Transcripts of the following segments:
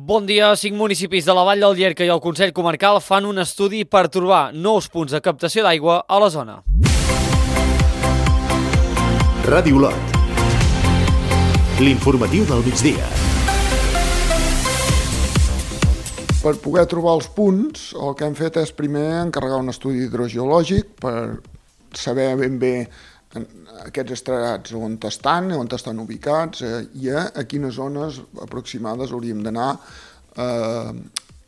Bon dia. 5 municipis de la Vall del Llierca i el Consell Comarcal fan un estudi per trobar nous punts de captació d'aigua a la zona. Ràdio Lot. L'informatiu del migdia. Per poder trobar els punts, el que hem fet és primer encarregar un estudi hidrogeològic per saber ben bé aquests estrats on estan ubicats i a quines zones aproximades hauríem d'anar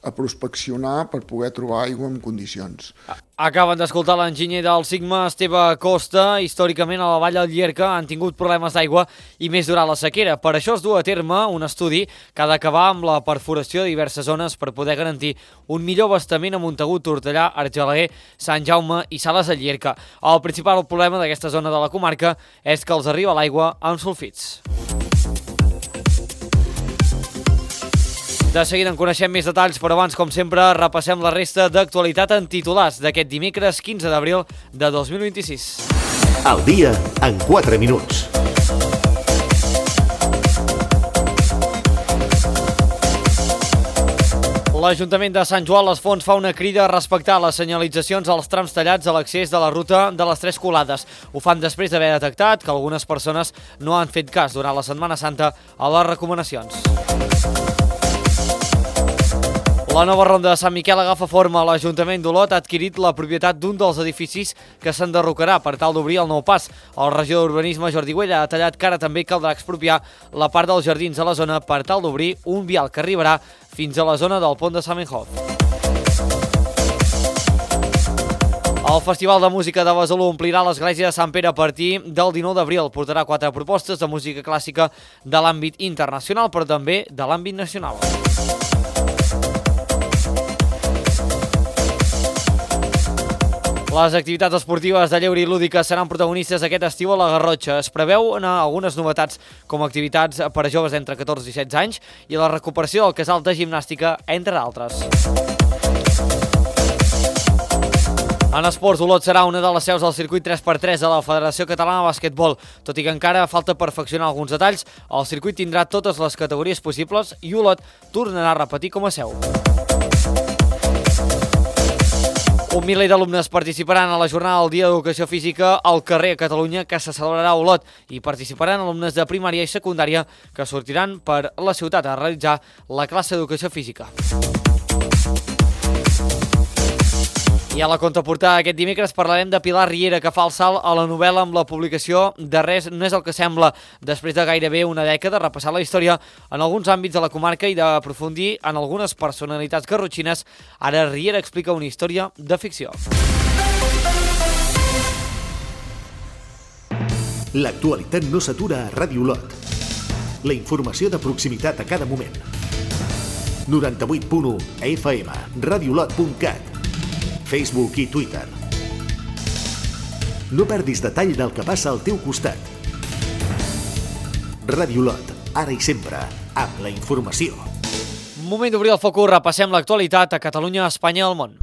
a prospeccionar per poder trobar aigua en condicions. Acaben d'escoltar l'enginyer del Sigma, Esteve Costa. Històricament a la Vall del Llierca han tingut problemes d'aigua i més durant la sequera. Per això es du a terme un estudi que ha d'acabar amb la perforació de diverses zones per poder garantir un millor abastament a Montagut, Tortellà, Argelaguer, Sant Jaume i Sales de Llierca. El principal problema d'aquesta zona de la comarca és que els arriba l'aigua amb sulfits. De seguida en coneixem més detalls, però abans, com sempre, repassem la resta d'actualitat en titulars d'aquest dimecres 15 d'abril de 2026. El dia en 4 minuts. L'Ajuntament de Sant Joan les Fonts fa una crida a respectar les senyalitzacions als trams tallats a l'accés de la ruta de les Tres Colades. Ho fan després d'haver detectat que algunes persones no han fet cas durant la Setmana Santa a les recomanacions. La nova ronda de Sant Miquel agafa forma. L'Ajuntament d'Olot ha adquirit la propietat d'un dels edificis que s'enderrocarà per tal d'obrir el nou pas. El regidor d'Urbanisme, Jordi Güell, ha detallat que ara també caldrà expropiar la part dels jardins de la zona per tal d'obrir un vial que arribarà fins a la zona del pont de Samenhof. El Festival de Música de Besalú omplirà l'església de Sant Pere a partir del 19 d'abril. Portarà 4 propostes de música clàssica de l'àmbit internacional, però també de l'àmbit nacional. Les activitats esportives de lleure i lúdiques seran protagonistes aquest estiu a la Garrotxa. Es preveuen algunes novetats com activitats per a joves entre 14 i 16 anys i la recuperació del casal de gimnàstica, entre d'altres. En esports, Olot serà una de les seus del circuit 3x3 de la Federació Catalana de Basquetbol. Tot i que encara falta perfeccionar alguns detalls, el circuit tindrà totes les categories possibles i Olot tornarà a repetir com a seu. Un miler d'alumnes participaran a la jornada del Dia d'Educació Física al carrer a Catalunya, que se celebrarà a Olot, i participaran alumnes de primària i secundària que sortiran per la ciutat a realitzar la classe d'Educació Física. I a la contraportada aquest dimecres parlarem de Pilar Riera, que fa el salt a la novel·la amb la publicació de Res no és el que sembla. Després de gairebé una dècada, repassar la història en alguns àmbits de la comarca i d'aprofundir en algunes personalitats garrotxines, ara Riera explica una història de ficció. L'actualitat no s'atura a Ràdio Lot. La informació de proximitat a cada moment. 98.1 FM, radiolot.cat, Facebook i Twitter. No perdis detall del que passa al teu costat. Ràdio Lot, ara i sempre, amb la informació. Moment d'obrir el focus, repassem l'actualitat a Catalunya, Espanya i el món.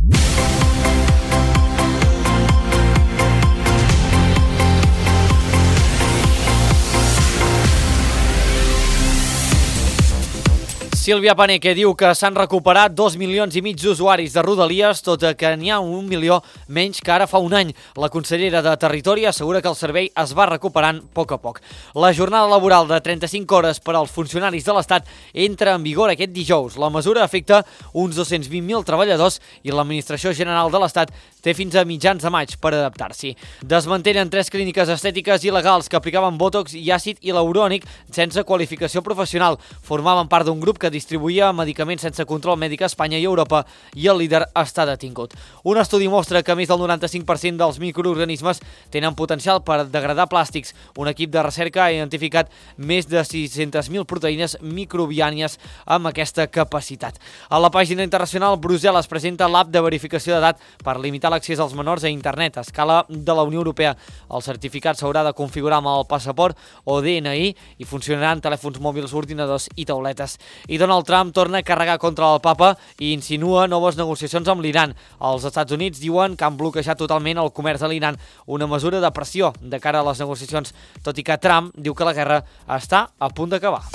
Sílvia Paneque diu que s'han recuperat 2,5 milions d'usuaris de Rodalies, tot i que n'hi ha 1 milió menys que ara fa un any. La consellera de Territori assegura que el servei es va recuperant a poc a poc. La jornada laboral de 35 hores per als funcionaris de l'Estat entra en vigor aquest dijous. La mesura afecta uns 220.000 treballadors i l'Administració General de l'Estat té fins a mitjans de maig per adaptar-s'hi. Desmantellen 3 clíniques estètiques il·legals que aplicaven bòtox i àcid hialurònic sense qualificació professional. Formaven part d'un grup que distribuïa medicaments sense control mèdic a Espanya i Europa i el líder està detingut. Un estudi mostra que més del 95% dels microorganismes tenen potencial per degradar plàstics. Un equip de recerca ha identificat més de 600.000 proteïnes microbiànies amb aquesta capacitat. A la pàgina internacional, Brussel·les presenta l'app de verificació d'edat per limitar l'accés als menors a internet a escala de la Unió Europea. El certificat s'haurà de configurar amb el passaport o DNI i funcionaran telèfons mòbils, ordinadors i tauletes. I Donald Trump torna a carregar contra el papa i insinua noves negociacions amb l'Iran. Els Estats Units diuen que han bloquejat totalment el comerç a l'Iran, una mesura de pressió de cara a les negociacions, tot i que Trump diu que la guerra està a punt d'acabar.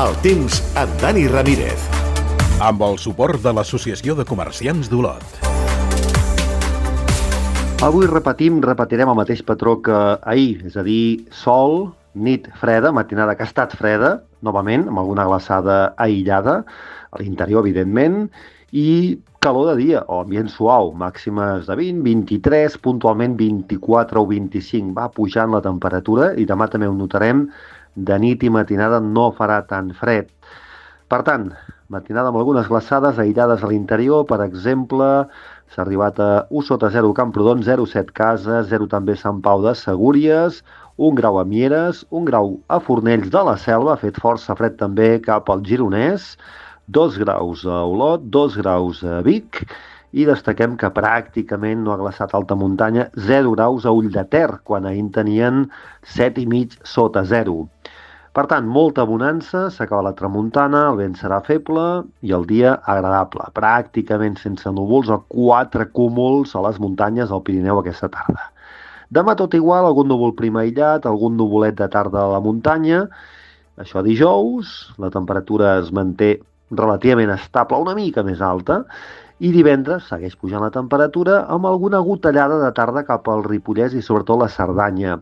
El temps amb Dani Ramírez. Amb el suport de l'Associació de Comerciants d'Olot. Avui repetirem el mateix patró que ahir, és a dir, sol, nit freda, matinada que ha estat freda, novament, amb alguna glaçada aïllada, a l'interior, evidentment, i calor de dia, o ambient suau, màximes de 20, 23, puntualment 24 o 25. Va pujant la temperatura i demà també ho notarem, de nit i matinada no farà tan fred. Per tant, matinada amb algunes glaçades aïllades a l'interior, per exemple, s'ha arribat a 1 sota 0 Camprodon, 0,7 Cases, 0 també Sant Pau de Segúries, 1 grau a Mieres, 1 grau a Fornells de la Selva, ha fet força fred també cap al Gironès, 2 graus a Olot, 2 graus a Vic, i destaquem que pràcticament no ha glaçat alta muntanya, 0 graus a Ulldeter, quan ahir tenien 7,5 sota 0. Per tant, molta bonança, s'acaba la tramuntana, el vent serà feble i el dia agradable, pràcticament sense núvols o 4 cúmuls a les muntanyes del Pirineu aquesta tarda. Demà tot igual, algun núvol prim aïllat, algun nuvolet de tarda a la muntanya. Això dijous, la temperatura es manté relativament estable, una mica més alta, i divendres segueix pujant la temperatura amb alguna gotellada de tarda cap al Ripollès i sobretot la Cerdanya.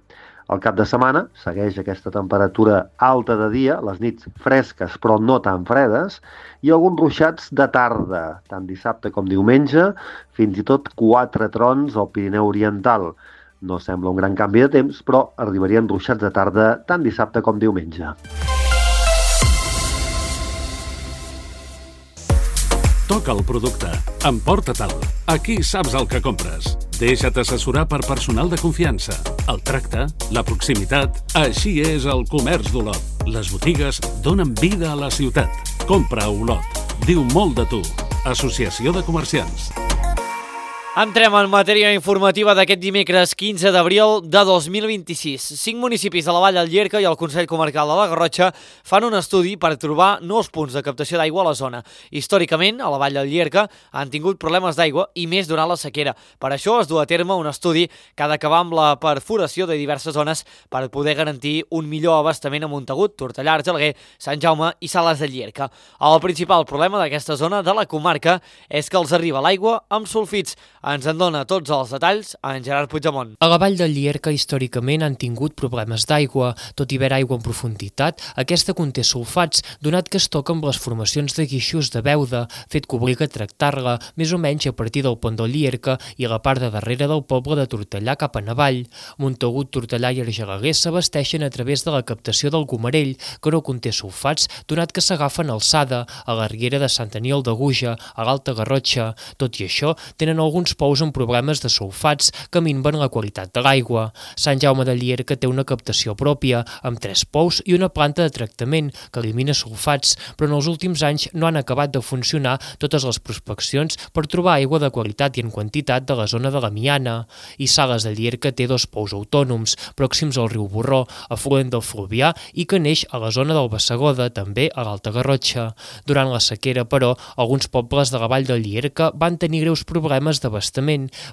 Al cap de setmana segueix aquesta temperatura alta de dia, les nits fresques però no tan fredes, i alguns ruixats de tarda, tant dissabte com diumenge, fins i tot 4 trons al Pirineu Oriental. No sembla un gran canvi de temps, però arribarien ruixats de tarda tant dissabte com diumenge. Toca el producte. Emporta-te'l. Aquí saps el que compres. Deixa't assessorar per personal de confiança. El tracte, la proximitat... Així és el comerç d'Olot. Les botigues donen vida a la ciutat. Compra a Olot. Diu molt de tu. Associació de Comerciants. Entrem en matèria informativa d'aquest dimecres 15 d'abril de 2026. 5 municipis de la Vall del Llierca i el Consell Comarcal de la Garrotxa fan un estudi per trobar nous punts de captació d'aigua a la zona. Històricament, a la Vall del Llierca han tingut problemes d'aigua i més durant la sequera. Per això es du a terme un estudi que ha d'acabar amb la perforació de diverses zones per poder garantir un millor abastament a Montagut, Tortellà, Argelaguer, Sant Jaume i Sales de Llierca. El principal problema d'aquesta zona de la comarca és que els arriba l'aigua amb sulfits. Ens en dona tots els detalls en Gerard Puigdemont. A la Vall del Llierca històricament han tingut problemes d'aigua. Tot i haver aigua en profunditat, aquesta conté sulfats, donat que es toca amb les formacions de guixos de Beuda, fet que obliga a tractar-la, més o menys a partir del pont del Llierca i a la part de darrere del poble de Tortellà cap a Navall. Montagut, Tortellà i Argelaguer s'abasteixen a través de la captació del Gomarell, que no conté sulfats, donat que s'agafen a alçada, a la riera de Sant Aniol de Guja, a l'Alta Garrotxa. Tot i això, tenen alguns pous amb problemes de sulfats que minven la qualitat de l'aigua. Sant Jaume de Llierca té una captació pròpia, amb 3 pous i una planta de tractament que elimina sulfats, però en els últims anys no han acabat de funcionar totes les prospeccions per trobar aigua de qualitat i en quantitat de la zona de la Miana. I Sales de Llierca té 2 pous autònoms, pròxims al riu Borró, afluent del Fluvià i que neix a la zona del Bassegoda, també a l'Alta Garrotxa. Durant la sequera, però, alguns pobles de la Vall del Llierca van tenir greus problemes d'abastament.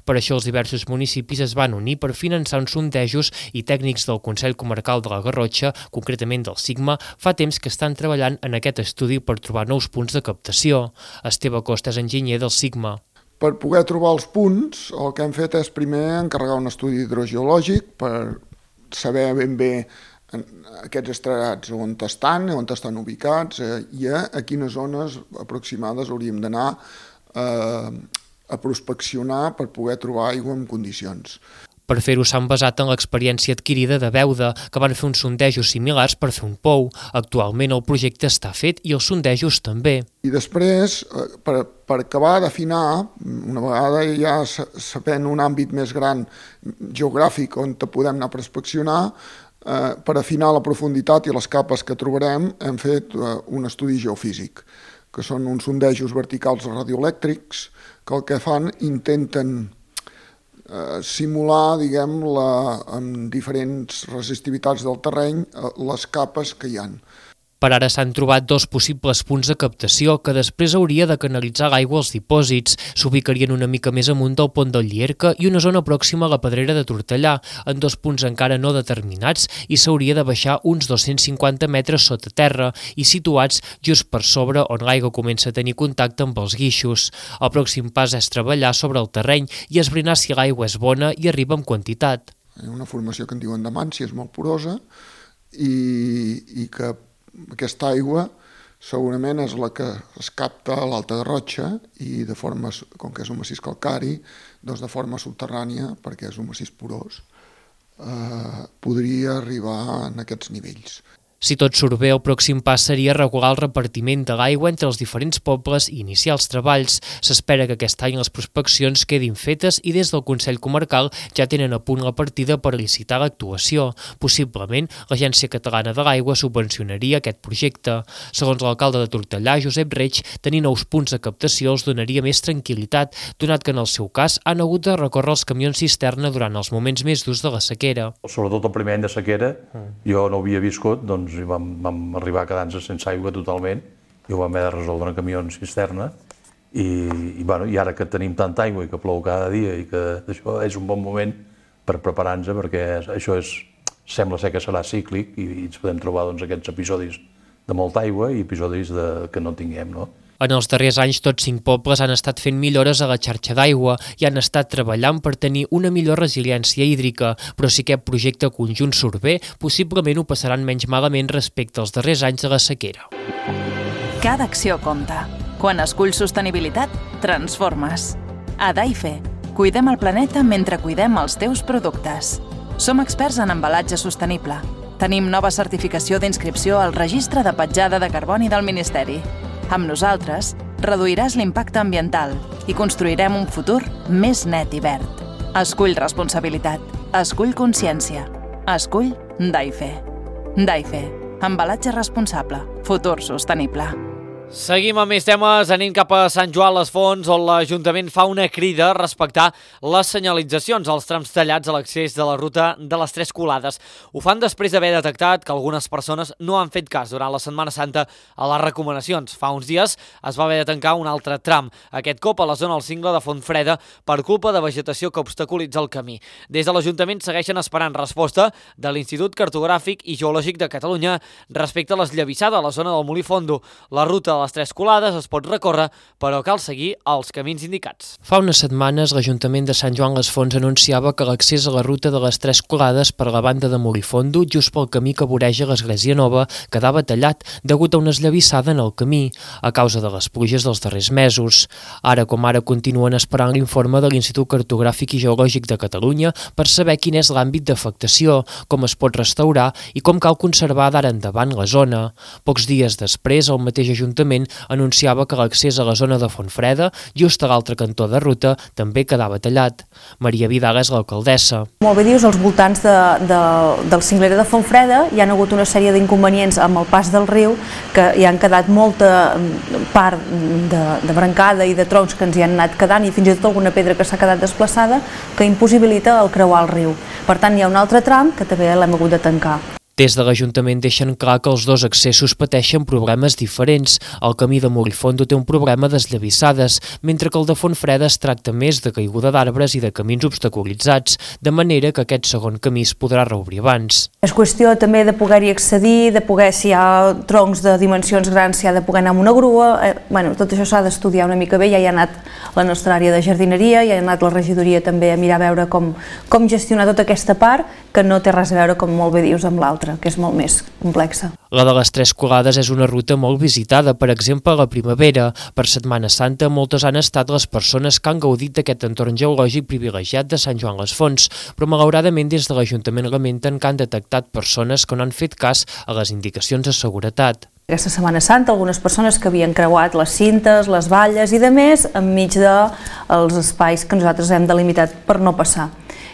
Per això els diversos municipis es van unir per finançar uns sondejos i tècnics del Consell Comarcal de la Garrotxa, concretament del Sigma, fa temps que estan treballant en aquest estudi per trobar nous punts de captació. Esteve Costa és enginyer del Sigma. Per poder trobar els punts, el que hem fet és primer encarregar un estudi hidrogeològic per saber ben bé aquests estrats on estan ubicats i a quines zones aproximades hauríem d'anar a prospeccionar per poder trobar aigua en condicions. Per fer-ho s'han basat en l'experiència adquirida de Beuda, que van fer uns sondejos similars per fer un pou. Actualment el projecte està fet i els sondejos també. I després, per acabar d'afinar, una vegada ja sabent un àmbit més gran geogràfic on podem anar a prospeccionar, per afinar la profunditat i les capes que trobarem, hem fet un estudi geofísic, que són uns sondejos verticals radioelèctrics que el que fan intenten simular, diguem, amb diferents resistivitats del terreny, les capes que hi ha. Per ara s'han trobat 2 possibles punts de captació que després hauria de canalitzar l'aigua als dipòsits. S'ubicarien una mica més amunt del pont del Llierca i una zona pròxima a la Pedrera de Tortellà, en 2 punts encara no determinats, i s'hauria de baixar uns 250 metres sota terra i situats just per sobre on l'aigua comença a tenir contacte amb els guixos. El pròxim pas és treballar sobre el terreny i esbrinar si l'aigua és bona i arriba en quantitat. Hi ha una formació que en diuen de Mància, és molt porosa i que aquesta aigua segurament és la que es capta a l'Alta Garrotxa i de forma, com que és un massís calcari, doncs de forma subterrània, perquè és un massís porós, podria arribar en aquests nivells. Si tot surt bé, el pròxim pas seria regular el repartiment de l'aigua entre els diferents pobles i iniciar els treballs. S'espera que aquest any les prospeccions quedin fetes i des del Consell Comarcal ja tenen a punt la partida per licitar l'actuació. Possiblement, l'Agència Catalana de l'Aigua subvencionaria aquest projecte. Segons l'alcalde de Tortellà, Josep Reig, tenir nous punts de captació els donaria més tranquil·litat, donat que en el seu cas han hagut de recórrer els camions cisterna durant els moments més durs de la sequera. Sobretot el primer any de sequera, jo no havia viscut, doncs vam arribar a quedar-nos sense aigua totalment i ho vam haver de resoldre en camions cisterna i ara que tenim tanta aigua i que plou cada dia i que això és un bon moment per preparar-nos perquè això sembla ser que serà cíclic i ens podem trobar aquests episodis de molta aigua i episodis que no tinguem, no? En els darrers anys, tots 5 pobles han estat fent millores a la xarxa d'aigua i han estat treballant per tenir una millor resiliència hídrica, però si aquest projecte conjunt surt bé, possiblement ho passaran menys malament respecte als darrers anys de la sequera. Cada acció compta. Quan esculls sostenibilitat, transformes. A Daife, cuidem el planeta mentre cuidem els teus productes. Som experts en embalatge sostenible. Tenim nova certificació d'inscripció al Registre de Petjada de Carboni del Ministeri. Amb nosaltres, reduiràs l'impacte ambiental i construirem un futur més net i verd. Escull responsabilitat. Escull consciència. Escull Daife. Daife. Embalatge responsable. Futur sostenible. Seguim amb més temes, anem cap a Sant Joan les Fonts, on l'Ajuntament fa una crida a respectar les senyalitzacions als trams tallats a l'accés de la ruta de les Tres Colades. Ho fan després d'haver detectat que algunes persones no han fet cas durant la Setmana Santa a les recomanacions. Fa uns dies es va haver de tancar un altre tram, aquest cop a la zona del cingle de Fontfreda, per culpa de vegetació que obstaculitza el camí. Des de l'Ajuntament segueixen esperant resposta de l'Institut Cartogràfic i Geològic de Catalunya respecte a l'esllavissada a la zona del Molí Fondo. La ruta de les Tres Colades es pot recórrer, però cal seguir els camins indicats. Fa unes setmanes, l'Ajuntament de Sant Joan les Fonts anunciava que l'accés a la ruta de les Tres Colades per la banda de Molí Fondo, just pel camí que voreja l'Església Nova, quedava tallat degut a una esllavissada en el camí, a causa de les pluges dels darrers mesos. Ara com ara continuen esperant l'informe de l'Institut Cartogràfic i Geològic de Catalunya per saber quin és l'àmbit d'afectació, com es pot restaurar i com cal conservar d'ara endavant la zona. Pocs dies després, el mateix Ajuntament anunciava que l'accés a la zona de Fontfreda, just a l'altre cantó de ruta, també quedava tallat. Maria Vidal és l'alcaldessa. Molt bé dius, als voltants del cinglera de Fontfreda hi ha hagut una sèrie d'inconvenients amb el pas del riu que hi han quedat molta part de brancada i de troncs que ens hi han anat quedant i fins i tot alguna pedra que s'ha quedat desplaçada que impossibilita el creuar el riu. Per tant, hi ha un altre tram que també l'hem hagut de tancar. Des de l'Ajuntament deixen clar que els dos accessos pateixen problemes diferents. El camí de Molí Fondo té un problema d'esllavissades, mentre que el de Fontfreda es tracta més de caiguda d'arbres i de camins obstaculitzats, de manera que aquest segon camí es podrà reobrir abans. És qüestió també de poder-hi accedir, de poder, si hi ha troncs de dimensions grans, s'hi ha de poder anar amb una grua. Tot això s'ha d'estudiar una mica bé, ja hi ha anat la nostra àrea de jardineria, ja ha anat la regidoria també a mirar a veure com gestionar tota aquesta part, que no té res a veure, com molt bé dius, amb l'altra, que és molt més complexa. La de les Tres Colades és una ruta molt visitada, per exemple, a la primavera. Per Setmana Santa, moltes han estat les persones que han gaudit d'aquest entorn geològic privilegiat de Sant Joan les Fonts, però malauradament des de l'Ajuntament lamenten que han detectat persones que no han fet cas a les indicacions de seguretat. Aquesta Setmana Santa, algunes persones que havien creuat les cintes, les valles i de més, enmig dels espais que nosaltres hem delimitat per no passar.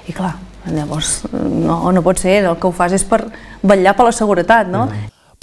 I clar, llavors no pot ser, el que ho fas és per vetllar per la seguretat, no?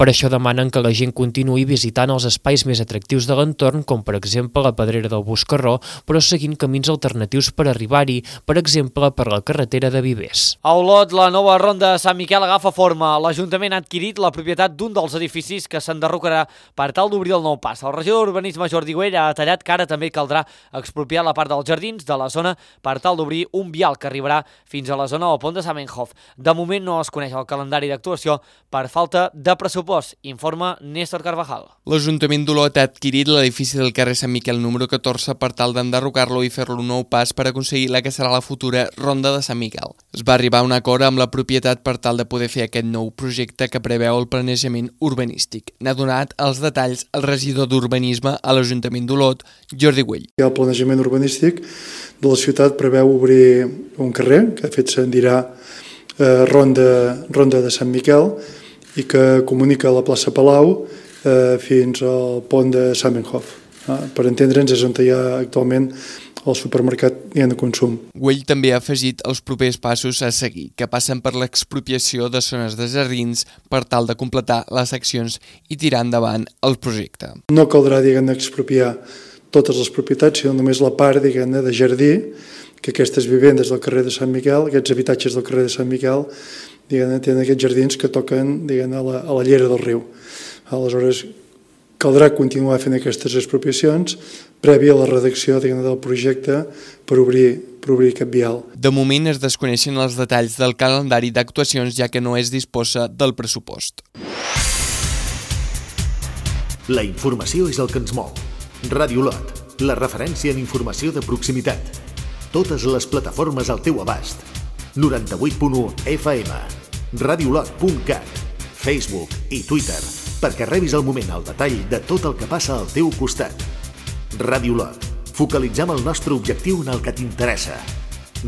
Per això demanen que la gent continuï visitant els espais més atractius de l'entorn, com per exemple la Pedrera del Boscarró, però seguint camins alternatius per arribar-hi, per exemple per la carretera de Vivers. A Olot, la nova ronda de Sant Miquel agafa forma. L'Ajuntament ha adquirit la propietat d'un dels edificis que s'enderrocarà per tal d'obrir el nou pas. El regidor d'Urbanisme Jordi Güell ha detallat que ara també caldrà expropiar la part dels jardins de la zona per tal d'obrir un vial que arribarà fins a la zona del pont de Zamenhof. De moment no es coneix el calendari d'actuació per falta de pressupost, informa Néstor Carvajal. L'Ajuntament d'Olot ha adquirit l'edifici del carrer Sant Miquel número 14 per tal d'enderrocar-lo i fer-lo un nou pas per aconseguir la que serà la futura Ronda de Sant Miquel. Es va arribar a un acord amb la propietat per tal de poder fer aquest nou projecte que preveu el planejament urbanístic. N'ha donat els detalls el regidor d'Urbanisme a l'Ajuntament d'Olot, Jordi Güell. El planejament urbanístic de la ciutat preveu obrir un carrer que de fet se'n dirà Ronda de Sant Miquel i que comunica la plaça Palau fins al pont de Zamenhof. Per entendre'ns, és on hi ha actualment el supermercat i de consum. Güell també ha afegit els propers passos a seguir, que passen per l'expropiació de zones de jardins per tal de completar les accions i tirar endavant el projecte. No caldrà, expropiar totes les propietats, sinó només la part, de jardí, que aquestes vivendes del carrer de Sant Miquel, aquests habitatges del carrer de Sant Miquel, tenen aquests jardins que toquen a la llera del riu. Aleshores, caldrà continuar fent aquestes expropiacions prèvia a la redacció del projecte per obrir aquest vial. De moment es desconeixen els detalls del calendari d'actuacions, ja que no es disposa del pressupost. La informació és el que ens mou. Ràdio Olot, la referència en informació de proximitat. Totes les plataformes al teu abast. 98.1 FM, radiolot.cat, Facebook i Twitter, perquè rebis al moment el detall de tot el que passa al teu costat. Ràdio Olot, focalitzem el nostre objectiu en el que t'interessa.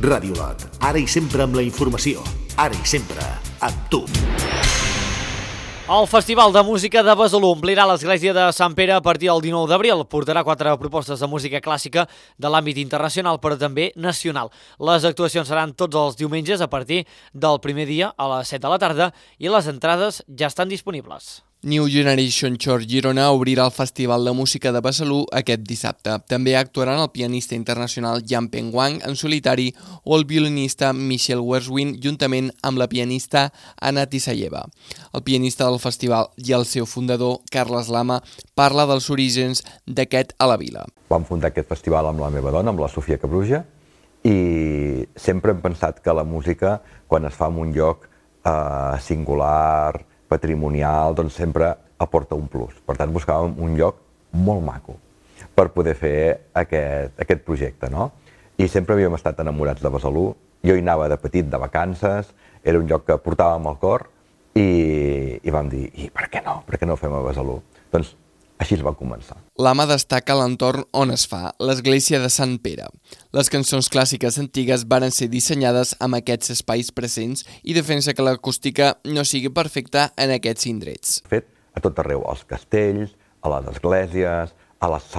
Ràdio Olot, ara i sempre amb la informació, ara i sempre amb tu. El Festival de Música de Besalú omplirà l'església de Sant Pere a partir del 19 d'abril. Portarà 4 propostes de música clàssica de l'àmbit internacional, però també nacional. Les actuacions seran tots els diumenges a partir del primer dia a les 7 de la tarda i les entrades ja estan disponibles. New Generation Church Girona obrirà el Festival de Música de Besalú aquest dissabte. També actuaran el pianista internacional Jan Peng Wang en solitari o el violinista Michel Werswin juntament amb la pianista Anna Tisayeva. El pianista del festival i el seu fundador, Carles Lama, parla dels orígens d'aquest a la vila. Vam fundar aquest festival amb la meva dona, amb la Sofia Cabruja, i sempre hem pensat que la música, quan es fa en un lloc singular, patrimonial, doncs sempre aporta un plus. Per tant, buscàvem un lloc molt maco per poder fer aquest projecte, no? I sempre havíem estat enamorats de Besalú. Jo hi anava de petit, de vacances, era un lloc que portàvem al cor i vam dir, i per què no? Per què no ho fem a Besalú? Doncs així es va començar. Lama destaca l'entorn on es fa, l'església de Sant Pere. Les cançons clàssiques antigues varen ser dissenyades amb aquests espais presents i defensa que l'acústica no sigui perfecta en aquests indrets. Fet a tot arreu, als castells, a les esglésies, a les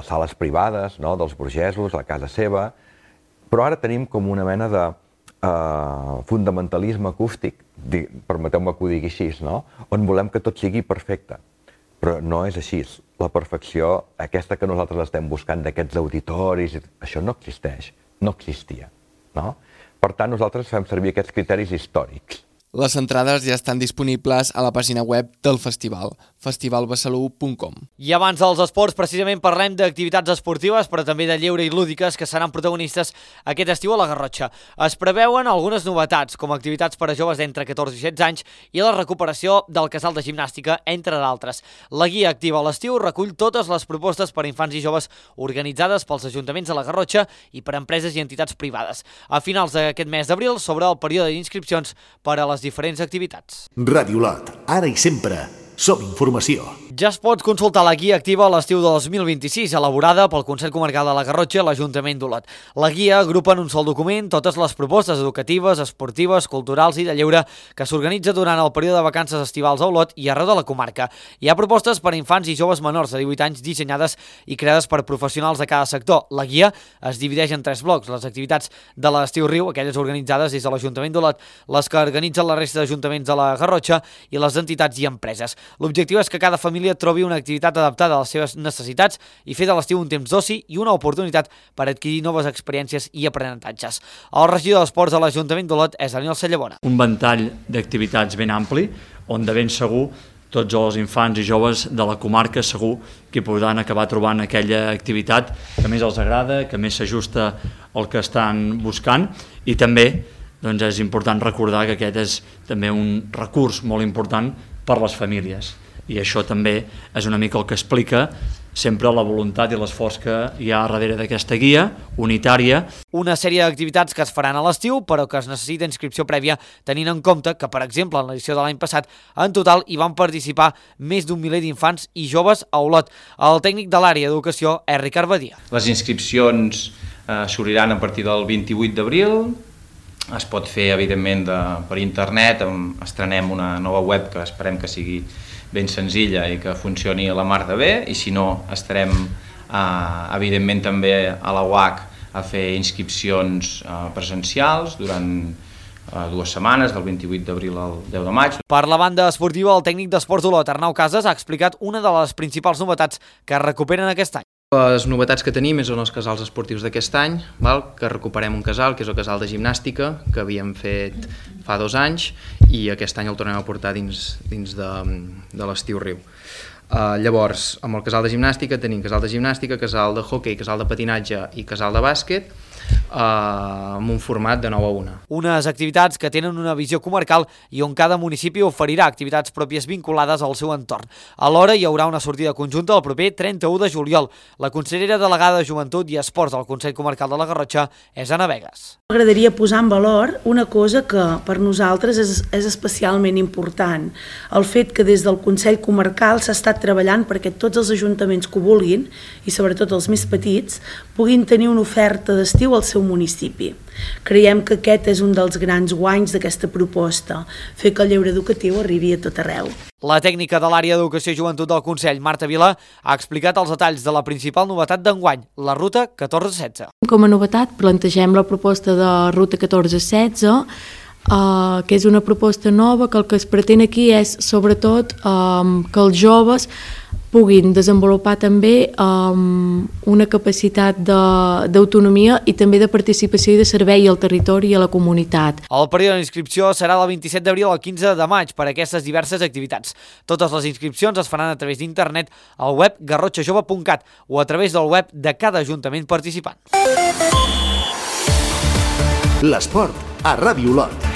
sales privades, no?, dels burgesos, a la casa seva, però ara tenim com una mena de fundamentalisme acústic, permeteu-me que ho digui així, no?, on volem que tot sigui perfecte. Però no és així. La perfecció, aquesta que nosaltres estem buscant d'aquests auditoris, això no existeix, no existia, no? Per tant, nosaltres fem servir aquests criteris històrics. Les entrades ja estan disponibles a la pàgina web del festival, festivalbesalú.com. I abans dels esports, precisament parlem d'activitats esportives, però també de lleure i lúdiques que seran protagonistes aquest estiu a la Garrotxa. Es preveuen algunes novetats, com activitats per a joves d'entre 14 i 16 anys i la recuperació del casal de gimnàstica, entre d'altres. La guia activa a l'estiu recull totes les propostes per a infants i joves organitzades pels ajuntaments de la Garrotxa i per empreses i entitats privades. A finals d'aquest mes d'abril s'obre el període d'inscripcions per a les diferents activitats. Ràdio Olot, ara i sempre, Som informació. Ja es pot consultar la guia activa a l'estiu de 2026, elaborada pel Consell Comarcal de la Garrotxa i l'Ajuntament d'Olot. La guia agrupa en un sol document totes les propostes educatives, esportives, culturals i de lleure que s'organitza durant el període de vacances estivals a Olot i arreu de la comarca. Hi ha propostes per a infants i joves menors de 18 anys dissenyades i creades per professionals de cada sector. La guia es divideix en 3 blocs: les activitats de l'estiu Riu, aquelles organitzades des de l'Ajuntament d'Olot, les que organitzen la resta d'ajuntaments de la Garrotxa i les entitats i empreses. L'objectiu és que cada família trobi una activitat adaptada a les seves necessitats i fer de l'estiu un temps d'oci i una oportunitat per adquirir noves experiències i aprenentatges. El regidor d'Esports de l'Ajuntament d'Olot és Daniel Sallabona. Un ventall d'activitats ben ampli, on de ben segur tots els infants i joves de la comarca segur que podran acabar trobant aquella activitat que més els agrada, que més s'ajusta al que estan buscant, i també és important recordar que aquest és també un recurs molt important per les famílies, i això també és una mica el que explica sempre la voluntat i l'esforç que hi ha darrere d'aquesta guia unitària. Una sèrie d'activitats que es faran a l'estiu, però que es necessita inscripció prèvia, tenint en compte que, per exemple, en l'edició de l'any passat, en total hi van participar més d'un miler d'infants i joves a Olot. El tècnic de l'àrea d'educació és Ricard Badia. Les inscripcions s'obriran a partir del 28 d'abril, es pot fer, evidentment, per internet. Estrenem una nova web que esperem que sigui ben senzilla i que funcioni a la mar de bé, i si no, estarem, evidentment, també a la UAC a fer inscripcions presencials durant 2 setmanes, del 28 d'abril al 10 de maig. Per la banda esportiva, el tècnic d'Esports d'Olot, Arnau Casas, ha explicat una de les principals novetats que es recuperen aquest any. Les novetats que tenim són els casals esportius d'aquest any, que recuperem un casal, que és el casal de gimnàstica, que havíem fet fa 2 anys, i aquest any el tornem a portar dins de l'estiu Riu. Llavors, amb el casal de gimnàstica tenim casal de gimnàstica, casal de hoquei, casal de patinatge i casal de bàsquet, amb un format de 9 a 1. Unes activitats que tenen una visió comarcal i on cada municipi oferirà activitats pròpies vinculades al seu entorn. Alhora hi haurà una sortida conjunta el proper 31 de juliol. La consellera delegada de Joventut i Esports del Consell Comarcal de la Garrotxa és Anna Vegas. M'agradaria posar en valor una cosa que per nosaltres és especialment important. El fet que des del Consell Comarcal s'ha estat treballant perquè tots els ajuntaments que ho vulguin, i sobretot els més petits, puguin tenir una oferta d'estiu al seu municipi. Creiem que aquest és un dels grans guanys d'aquesta proposta, fer que el lleure educatiu arribi a tot arreu. La tècnica de l'àrea d'Educació i Joventut del Consell, Marta Vilà, ha explicat els detalls de la principal novetat d'enguany, la Ruta 1416. Com a novetat plantegem la proposta de Ruta 1416, que és una proposta nova, que el que es pretén aquí és sobretot que els joves puguin desenvolupar també una capacitat d'autonomia i també de participació i de servei al territori i a la comunitat. El període d'inscripció serà del 27 d'abril al 15 de maig per a aquestes diverses activitats. Totes les inscripcions es faran a través d'internet al web garrotxajove.cat o a través del web de cada ajuntament participant. L'esport a Ràdio Olot.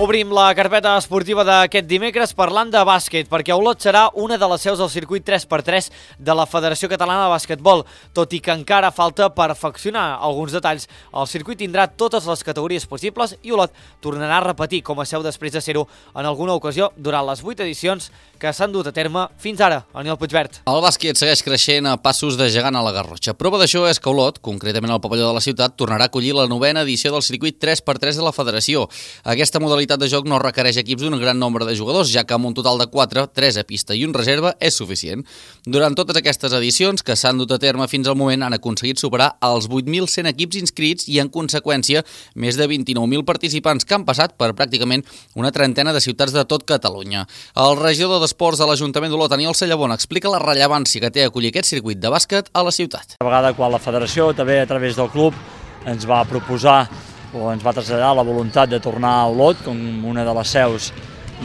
Obrim la carpeta esportiva d'aquest dimecres parlant de bàsquet, perquè Olot serà una de les seus del circuit 3x3 de la Federació Catalana de Bàsquetbol. Tot i que encara falta perfeccionar alguns detalls, el circuit tindrà totes les categories possibles i Olot tornarà a repetir com a seu després de ser-ho en alguna ocasió durant les 8 edicions que s'han dut a terme fins ara. Aniel Puigvert. El bàsquet segueix creixent a passos de gegant a la Garrotxa. Prova d'això és que Olot, concretament al pavelló de la ciutat, tornarà a acollir la 9ª edició del circuit 3x3 de la Federació. Aquesta modalitat de joc no requereix equips d'un gran nombre de jugadors, ja que amb un total de 4, 3 a pista i un reserva és suficient. Durant totes aquestes edicions que s'han dut a terme fins al moment han aconseguit superar els 8.100 equips inscrits i, en conseqüència, més de 29.000 participants que han passat per pràcticament una trentena de ciutats de tot Catalunya. El regidor d'Esports de l'Ajuntament d'Olot, Daniel Sallabona, explica la rellevància que té acollir aquest circuit de bàsquet a la ciutat. A vegada, quan la federació, també a través del club, ens va proposar o ens va traslladar la voluntat de tornar a Olot com una de les seus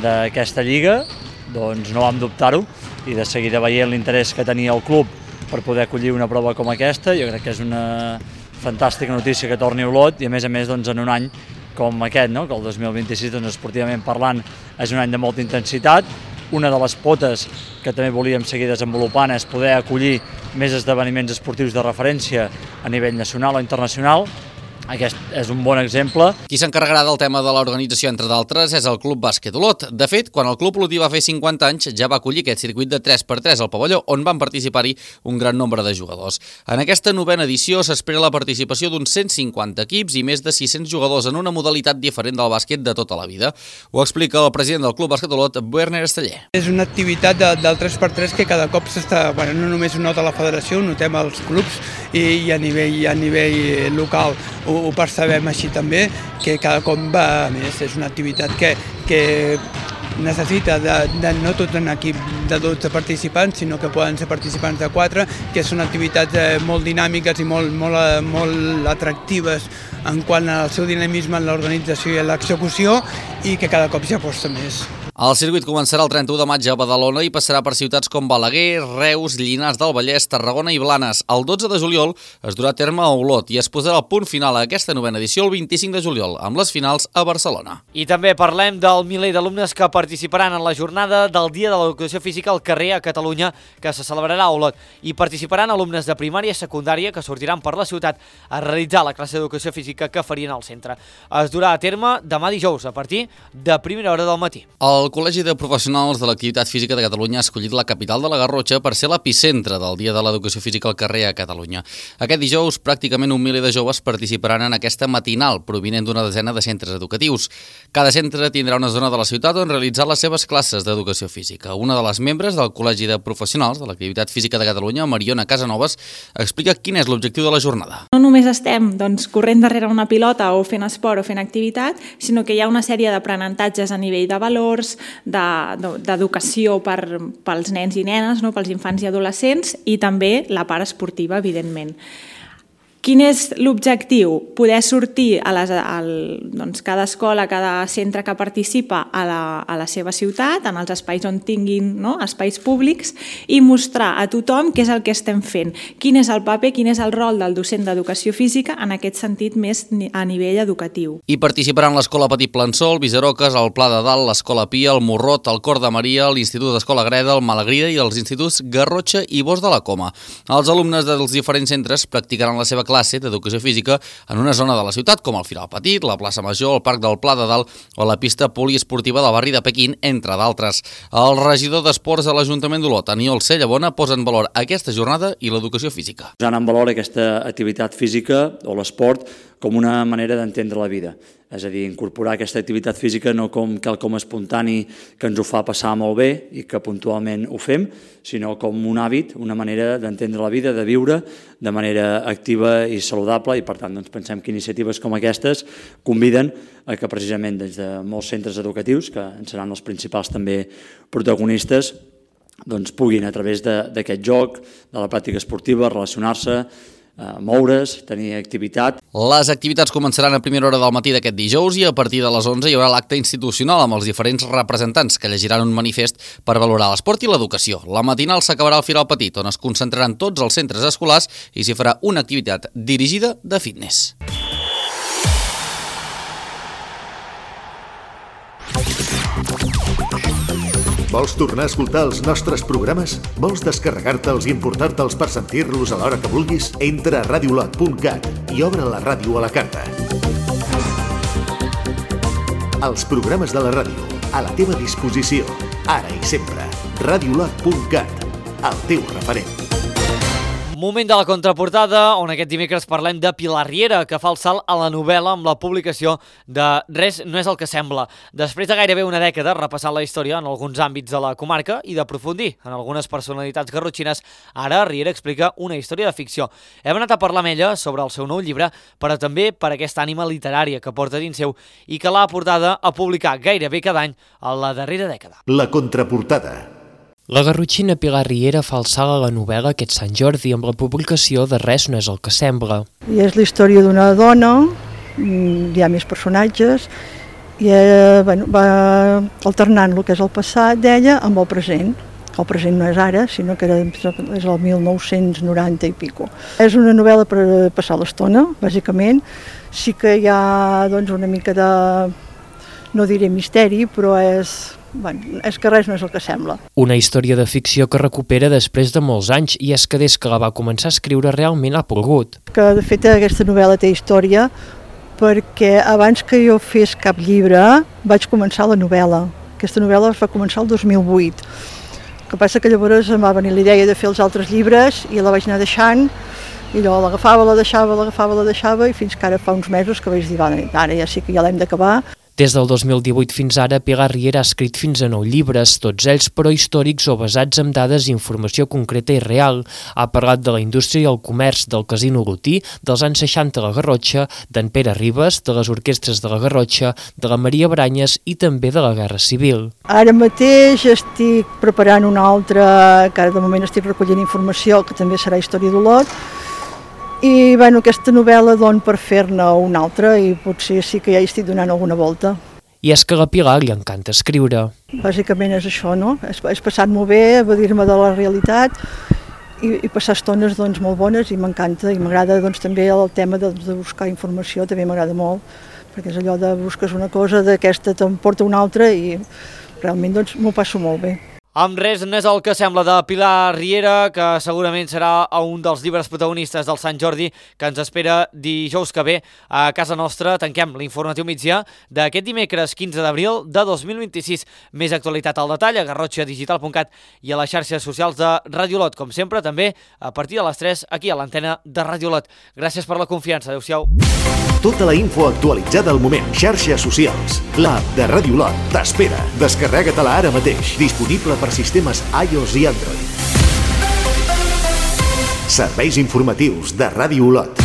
d'aquesta lliga, doncs no vam dubtar-ho, i de seguida veient l'interès que tenia el club per poder acollir una prova com aquesta, jo crec que és una fantàstica notícia que torni a Olot, i a més en un any com aquest, que el 2026, esportivament parlant, és un any de molta intensitat, una de les potes que també volíem seguir desenvolupant és poder acollir més esdeveniments esportius de referència a nivell nacional o internacional. Aquest és un bon exemple. Qui s'encarregarà del tema de l'organització, entre d'altres, és el Club Bàsquet Olot. De fet, quan el Club Olotí va fer 50 anys, ja va acollir aquest circuit de 3x3 al pavelló, on van participar-hi un gran nombre de jugadors. En aquesta 9a edició s'espera la participació d'uns 150 equips i més de 600 jugadors en una modalitat diferent del bàsquet de tota la vida. Ho explica el president del Club Bàsquet Olot, Werner Esteller. És una activitat del 3x3 que cada cop s'està, no només ho nota la federació, ho notem als clubs i a nivell local ho percebem així també, que cada cop va més. És una activitat que necessita de no tot un equip de 12 participants, sinó que poden ser participants de 4, que són activitats molt dinàmiques i molt atractives en quant al seu dinamisme en l'organització i en l'execució, i que cada cop s'hi aposta més. El circuit començarà el 31 de maig a Badalona i passarà per ciutats com Balaguer, Reus, Llinars del Vallès, Tarragona i Blanes. El 12 de juliol es durà a terme a Olot i es posarà el punt final a aquesta 9a edició el 25 de juliol, amb les finals a Barcelona. I també parlem del miler d'alumnes que participaran en la jornada del Dia de l'Educació Física al carrer a Catalunya, que se celebrarà a Olot. I participaran alumnes de primària i secundària que sortiran per la ciutat a realitzar la classe d'educació física que farien al centre. Es durà a terme demà dijous a partir de primera hora del matí. El Col·legi de Professionals de l'Activitat Física de Catalunya ha escollit la capital de la Garrotxa per ser l'epicentre del Dia de l'Educació Física al carrer a Catalunya. Aquest dijous, pràcticament un miler de joves participaran en aquesta matinal, provinent d'una desena de centres educatius. Cada centre tindrà una zona de la ciutat on realitzar les seves classes d'educació física. Una de les membres del Col·legi de Professionals de l'Activitat Física de Catalunya, Mariona Casanovas, explica quin és l'objectiu de la jornada. No només estem corrent darrere una pilota o fent esport o fent activitat, sinó que hi ha una sèrie d'aprenentatges a nivell de valors, d'educació pels nens i nenes, pels infants i adolescents, i també la part esportiva, evidentment. Quin és l'objectiu? Poder sortir cada escola, cada centre que participa a la seva ciutat, en els espais on tinguin espais públics, i mostrar a tothom què és el que estem fent, quin és el paper, quin és el rol del docent d'educació física en aquest sentit més a nivell educatiu. Hi participaran l'Escola Petit Plansol, Visaroques, el Pla de Dalt, l'Escola Pia, el Morrot, el Cor de Maria, l'Institut d'Escola Greda, el Malagrida i els instituts Garrotxa i Bos de la Coma. Els alumnes dels diferents centres practicaran la seva classe d'educació física en una zona de la ciutat, com el Firal Petit, la plaça Major, el Parc del Pla de Dalt o la pista poliesportiva del barri de Pequín, entre d'altres. El regidor d'Esports de l'Ajuntament d'Olot, Aniol Cellabona, posa en valor aquesta jornada i l'educació física. Posant en valor aquesta activitat física o l'esport com una manera d'entendre la vida. És a dir, incorporar aquesta activitat física no com quelcom espontani que ens ho fa passar molt bé i que puntualment ho fem, sinó com un hàbit, una manera d'entendre la vida, de viure de manera activa i saludable, i per tant pensem que iniciatives com aquestes conviden a que precisament des de molts centres educatius, que en seran els principals també protagonistes, puguin a través d'aquest joc, de la pràctica esportiva, relacionar-se, moure's, tenir activitat. Les activitats començaran a primera hora del matí d'aquest dijous i a partir de les 11 hi haurà l'acte institucional amb els diferents representants que llegiran un manifest per valorar l'esport i l'educació. La matinal s'acabarà al Firal Petit, on es concentraran tots els centres escolars i s'hi farà una activitat dirigida de fitness. Vols tornar a escoltar els nostres programes? Vols descarregar-te'ls i emportar-te'ls per sentir-los a l'hora que vulguis? Entra a radiolot.cat i obre la ràdio a la carta. Els programes de la ràdio, a la teva disposició, ara i sempre. Radiolot.cat, el teu referent. Moment de la contraportada, on aquest dimecres parlem de Pilar Riera, que fa el salt a la novel·la amb la publicació de Res no és el que sembla. Després de gairebé una dècada repassant la història en alguns àmbits de la comarca i d'aprofundir en algunes personalitats garrotxines, ara Riera explica una història de ficció. Hem anat a parlar amb ella sobre el seu nou llibre, però també per aquesta ànima literària que porta dins seu i que l'ha portada a publicar gairebé cada any a la darrera dècada. La contraportada. La garrotxina Pilar Riera fa el salt a la novel·la aquest Sant Jordi amb la publicació de Res no és el que sembla. I és la història d'una dona, hi ha més personatges, i va alternant el que és el passat d'ella amb el present. El present no és ara, sinó que és el 1990 i pico. És una novel·la per passar l'estona, bàsicament. Sí que hi ha una mica de no diré misteri, però és que res no és el que sembla. Una història de ficció que recupera després de molts anys, i és que des que la va començar a escriure realment ha plogut. Que de fet aquesta novel·la té història perquè abans que jo fes cap llibre vaig començar la novel·la. Aquesta novel·la va començar el 2008. El que passa que llavors em va venir la idea de fer els altres llibres i la vaig anar deixant, i allò l'agafava, la deixava, i fins que ara fa uns mesos que vaig dir, ara ja sí que ja l'hem d'acabar. Des del 2018 fins ara, Pilar Riera ha escrit fins a 9 llibres, tots ells però històrics o basats en dades i informació concreta i real. Ha parlat de la indústria i el comerç, del casino Lotí, dels anys 60 a la Garrotxa, d'en Pere Ribes, de les orquestres de la Garrotxa, de la Maria Branyes i també de la Guerra Civil. Ara mateix estic preparant una altra, que ara de moment estic recollint informació, que també serà història d'Olot, i aquesta novel·la per fer-ne una altra, i potser sí que ja hi estic donant alguna volta. I és que a la Pilar li encanta escriure. Bàsicament és això, no? És passat molt bé, evadir-me de la realitat i passar estones molt bones, i m'encanta, i m'agrada també el tema de buscar informació, també m'agrada molt, perquè és allò de busques una cosa, d'aquesta te'n porta una altra, i realment m'ho passo molt bé. Amb res no és el que sembla de Pilar Riera, que segurament serà un dels llibres protagonistes del Sant Jordi, que ens espera dijous que ve a casa nostra. Tanquem l'informatiu migdia d'aquest dimecres 15 d'abril de 2026. Més actualitat al detall a garrotxadigital.cat i a les xarxes socials de Ràdio Olot. Com sempre, també a partir de les 3 aquí a l'antena de Ràdio Olot. Gràcies per la confiança. Adéu-siau. Tota la info actualitzada al moment. Xarxes socials. L'app de Ràdio Olot t'espera. Descarrega-te-la ara mateix. Disponible per sistemes iOS i Android. Serveis informatius de Ràdio Olot.